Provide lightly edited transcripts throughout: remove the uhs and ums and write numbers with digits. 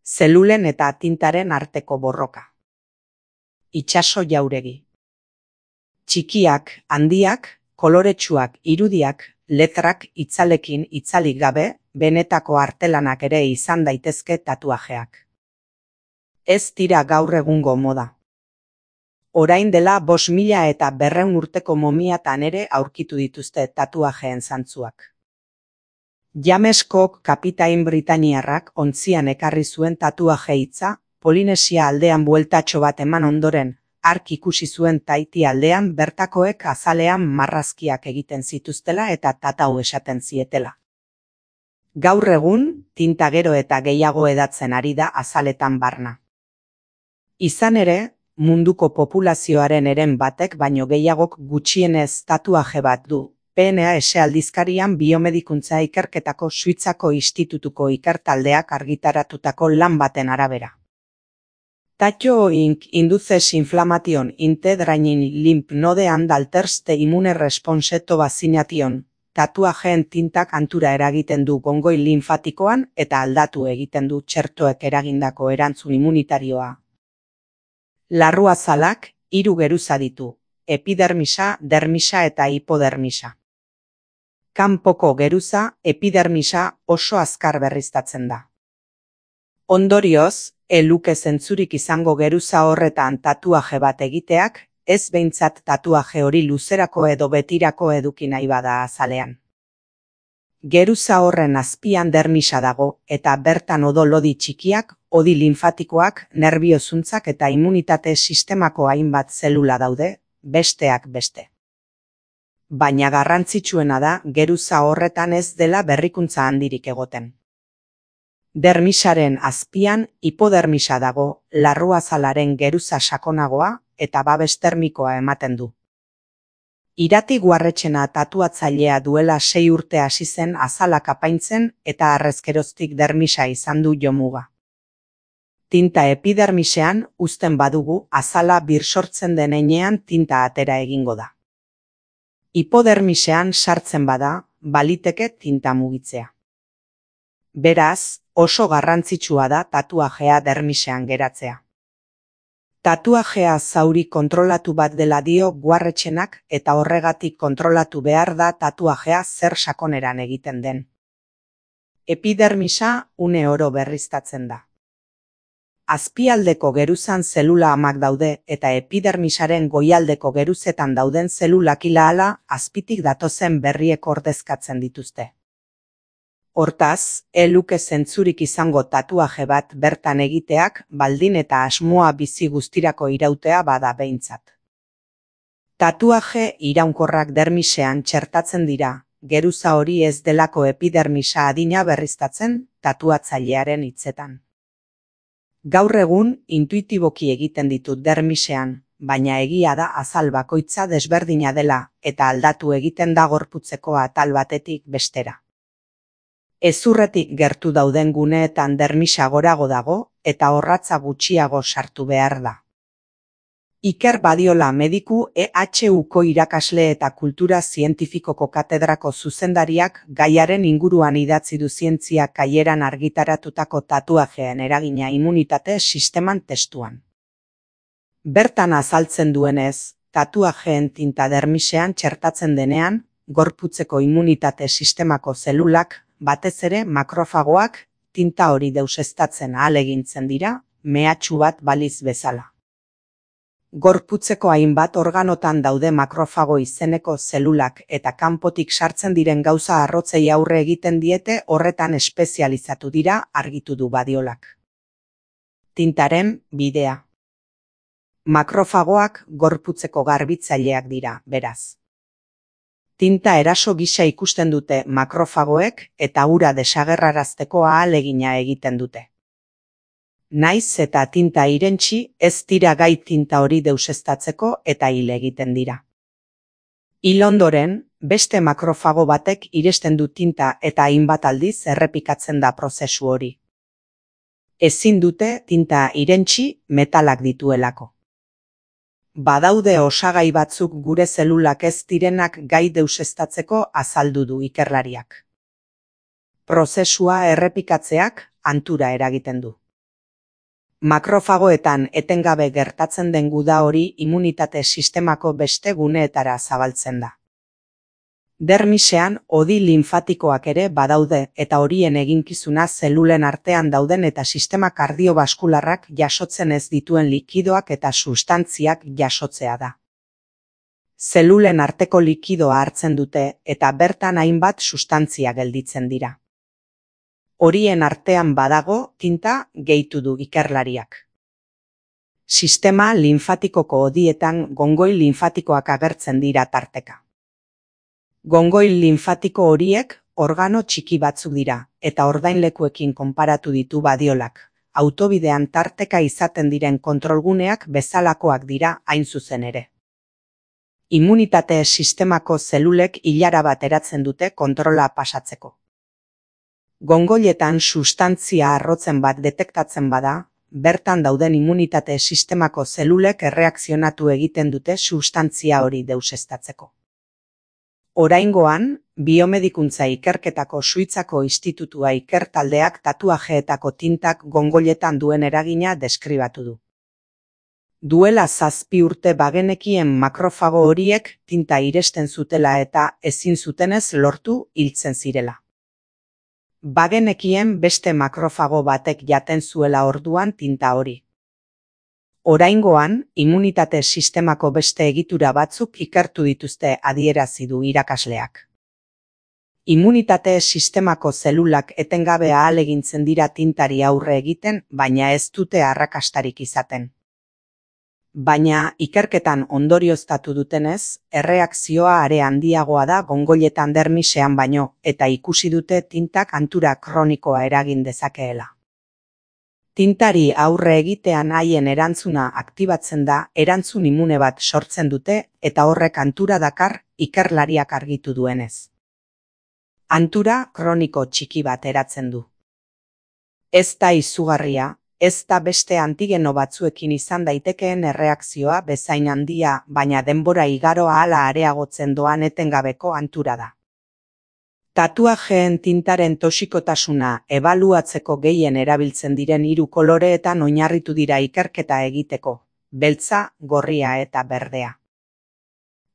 Zelulen eta tintaren arteko borroka. Itsaso jauregi. Txikiak, handiak, koloretsuak, irudiak, letrak itzalekin itzalik gabe, benetako artelanak ere izan daitezke tatuajeak. Ez dira gaur egungo moda. Orain dela 5.200 urteko momiatan ere aurkitu dituzte tatuajeen zantzuak. James Cook kapitain britainiarrak ontzian ekarri zuen tatuaje hitza, Polinesia aldean bueltatxo bat eman ondoren, hark ikusi zuen Tahiti aldean bertakoek azalean marrazkiak egiten zituztela eta tatau esaten zietela. Gaur egun, tinta gero eta gehiago edatzen ari da azaletan barna. Izan ere, munduko populazioaren eren batek baino gehiagok gutxienez tatuaje bat du. PNAS aldizkarian biomedikuntza ikerketako Suitzako institutuko ikertaldeak argitaratutako lan baten arabera. Tattoo Inc. induces inflammation in the draining lymph node and alters the immune response to vaccination. Tatuajeen tintak hantura eragiten du gongoi linfatikoan eta aldatu egiten du txertoek eragindako erantzun immunitarioa. Larruazalak 3 geruza ditu: epidermisa, dermisa eta hipodermisa. Kanpoko geruza, epidermisa, oso azkar berriztatzen da. Ondorioz, luke zentzurik izango geruza horretan tatuaje bat egiteak, ez behintzat tatuaje hori luzerako edo betirako eduki nahi bada azalean. Geruza horren azpian dermisa dago eta bertan odol-lodi txikiak, odi linfatikoak, nerbiozuntzak eta immunitate sistemako hainbat zelula daude, besteak beste. Baina garrantzitsuena da geruza horretan ez dela berrikuntza handirik egoten. Dermisaren azpian hipodermisa dago, larruazalaren geruza sakonagoa eta babes termikoa ematen du. Irati Guarretxena tatuatzailea duela 6 urte hasi zen azalak apaintzen eta harrezkeroztik dermisa izan du jomuga. Tinta epidermisean uzten badugu azala birsortzen den heinean tinta atera egingo da. Hipodermisean sartzen bada, baliteke tinta mugitzea. Beraz, oso garrantzitsua da tatuajea dermisean geratzea. Tatuajea zauri kontrolatu bat dela dio Guarretxenak eta horregatik kontrolatu behar da tatuajea zer sakoneran egiten den. Epidermisa une oro berriztatzen da. Azpialdeko geruzan zelula amak daude eta epidermisaren goialdeko geruzetan dauden zelulak ila-hala azpitik datozen berriek ordezkatzen dituzte. Hortaz, luke zentzurik izango tatuaje bat bertan egiteak baldin eta asmoa bizi guztirako irautea bada behintzat. Tatuaje iraunkorrak dermisean txertatzen dira, geruza hori ez delako epidermisa adina berriztatzen tatuatzailearen hitzetan. Gaur egun intuitiboki egiten ditut dermisean, baina egia da azal bakoitza desberdina dela eta aldatu egiten da gorputzeko atal batetik bestera. Hezurretik gertu dauden guneetan dermisa gorago dago eta orratza gutxiago sartu behar da. Iker Badiola mediku EHUko irakasle eta kultura zientifikoko katedrako zuzendariak gaiaren inguruan idatzi du zientzia kaieran argitaratutako tatuajeen eragina immunitate sisteman testuan. Bertan azaltzen duenez, tatuajeen tinta dermisean txertatzen denean, gorputzeko immunitate sistemako zelulak, batez ere makrofagoak, tinta hori deuseztatzen ahalegintzen dira, mehatxu bat baliz bezala. Gorputzeko hainbat organotan daude makrofago izeneko zelulak eta kanpotik sartzen diren gauza arrotzei aurre egiten diete horretan espezializatu dira argitu du Badiolak. Tintaren bidea. Makrofagoak gorputzeko garbitzaileak dira, beraz. Tinta eraso gisa ikusten dute makrofagoek eta ura desagerrarazteko ahalegina egiten dute. Naiz eta tinta irentsi ez dira gai tinta hori deuseztatzeko eta hil egiten dira. Hil ondoren, beste makrofago batek iresten du tinta eta hainbat aldiz errepikatzen da prozesu hori. Ezin dute tinta irentsi metalak dituelako. Badaude osagai batzuk gure zelulak ez direnak gai deuseztatzeko azaldu du ikerlariak. Prozesua errepikatzeak hantura eragiten du. Makrofagoetan etengabe gertatzen den guda hori immunitate sistemako beste guneetara zabaltzen da. Dermisean hodi linfatikoak ere badaude eta horien eginkizuna zelulen artean dauden eta sistema kardiobaskularrak jasotzen ez dituen likidoak eta substantziak jasotzea da. Zelulen arteko likidoa hartzen dute eta bertan hainbat sustantzia gelditzen dira. Horien artean badago tinta gehitu du ikerlariak. Sistema linfatikoko hodietan gongoi linfatikoak agertzen dira tarteka. Gongoi linfatiko horiek organo txiki batzuk dira eta ordainlekuekin konparatu ditu Badiolak. Autobidean tarteka izaten diren kontrolguneak bezalakoak dira hain zuzen ere. Immunitate sistemako zelulek ilara bat eratzen dute kontrola pasatzeko. Gongoietan sustantzia arrotzen bat detektatzen bada, bertan dauden immunitate sistemako zelulek erreakzionatu egiten dute sustantzia hori deuseztatzeko. Oraingoan, biomedikuntza ikerketako Suitzako institutua ikertaldeak tatuajeetako tintak gongoietan duen eragina deskribatu du. Duela 7 urte bagenekien makrofago horiek tinta iresten zutela eta ezin zutenez lortu hiltzen zirela. Bagenekien beste makrofago batek jaten zuela orduan tinta hori. Oraingoan, immunitate sistemako beste egitura batzuk ikertu dituzte adierazi du irakasleak. Immunitate sistemako zelulak etengabe ahalegintzen dira tintari aurre egiten, baina ez dute arrakastarik izaten. Baina ikerketan ondorioztatu dutenez, erreakzioa are handiagoa da gongoietan dermisean baino, eta ikusi dute tintak hantura kronikoa eragin dezakeela. Tintari aurre egitean haien erantzuna aktibatzen da, erantzun imune bat sortzen dute eta horrek hantura dakar ikerlariak argitu duenez. Hantura kroniko txiki bat eratzen du. Ez da izugarria, ez da beste antigeno batzuekin izan daitekeen erreakzioa bezain handia, baina denbora igaro ahala areagotzen doan etengabeko hantura da. Tatuajeen tintaren toxikotasuna ebaluatzeko gehien erabiltzen diren 3 koloreetan oinarritu dira ikerketa egiteko, beltza, gorria eta berdea.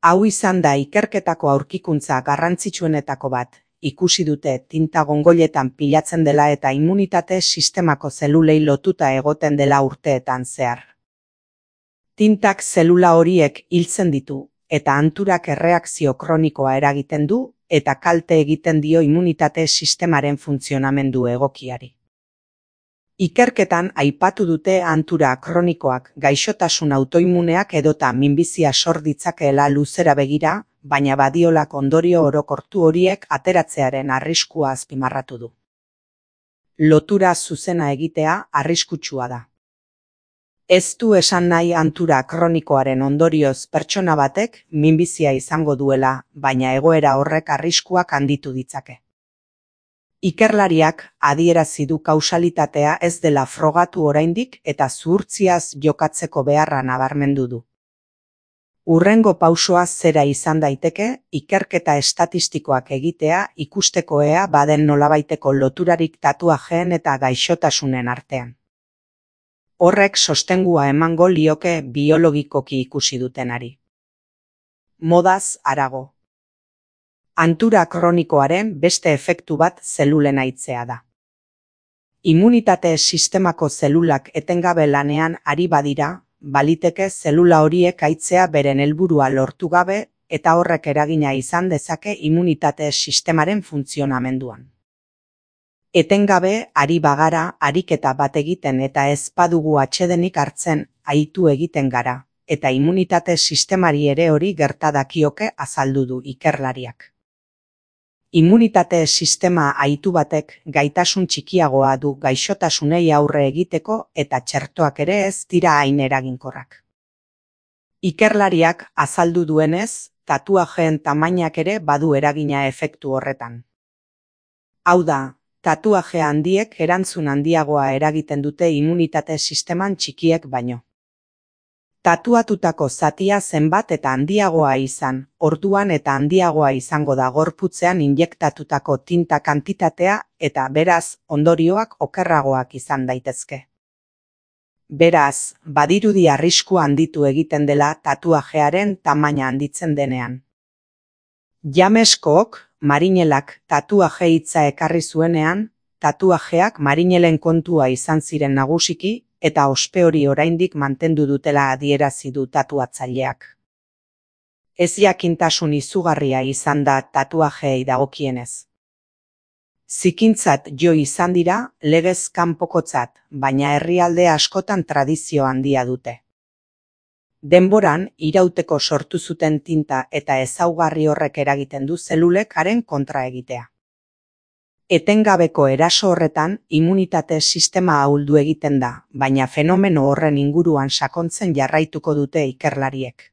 Hau izan da ikerketako aurkikuntza garrantzitsuenetako bat, ikusi dute tinta gongoietan pilatzen dela eta immunitate sistemako zelulei lotuta egoten dela urteetan zehar. Tintak zelula horiek hiltzen ditu, eta hanturak erreakzio kronikoa eragiten du, eta kalte egiten dio immunitate sistemaren funtzionamendu egokiari. Ikerketan aipatu dute hantura kronikoak gaixotasun autoimuneak edota minbizia sor ditzakeela luzera begira, baina Badiolak ondorio orokortu horiek ateratzearen arriskua azpimarratu du. Lotura zuzena egitea arriskutsua da. Ez du esan nahi hantura kronikoaren ondorioz pertsona batek minbizia izango duela, baina egoera horrek arriskuak handitu ditzake. Ikerlariak adierazi du kausalitatea ez dela frogatu oraindik eta zuhurtziaz jokatzeko beharra nabarmendu du. Hurrengo pausoa zera izan daiteke, ikerketa estatistikoak egitea ikusteko ea baden nolabaiteko loturarik tatuajeen eta gaixotasunen artean. Horrek sostengua emango lioke biologikoki ikusi dutenari. Modaz harago. Hantura kronikoaren beste efektu bat zelulen haitzea da. Immunitate sistemako zelulak etengabe lanean ari badira, baliteke zelula horiek haitzea beren helburua lortu gabe eta horrek eragina izan dezake immunitate sistemaren funtzionamenduan. Etengabe ari bagara ariketa bat egiten eta ez badugu atsedenik hartzen ahitu egiten gara, eta immunitate sistemari ere hori gerta dakioke azaldu du ikerlariak. Immunitate sistema ahitu batek gaitasun txikiagoa du gaixotasunei aurre egiteko eta txertoak ere ez dira hain eraginkorrak. Ikerlariak azaldu duenez, tatuajeen tamainak ere badu eragina efektu horretan. Hau da, tatuaje handiek erantzun handiagoa eragiten dute immunitate sisteman txikiek baino. Tatuatutako zatia zenbat eta handiagoa izan, orduan eta handiagoa izango da gorputzean injektatutako tinta kantitatea eta beraz ondorioak okerragoak izan daitezke. Beraz, badirudi arriskua handitu egiten dela tatuajearen tamaina handitzen denean. James Cook, Marinelak tatuaje hitza ekarri zuenean, tatuajeak Marinelen kontua izan ziren nagusiki eta ospe hori oraindik mantendu dutela adierazi du tatuatzaileak. Ez jakintasun izugarria izan da tatuajeei dagokienez. Zikintzat jo izan dira, legez kanpokotzat, baina herrialde askotan tradizio handia dute. Denboran, irauteko sortu zuten tinta eta ezaugarri horrek eragiten du zelulek haren kontra egitea. Etengabeko eraso horretan, immunitate sistema ahuldu egiten da, baina fenomeno horren inguruan sakontzen jarraituko dute ikerlariek.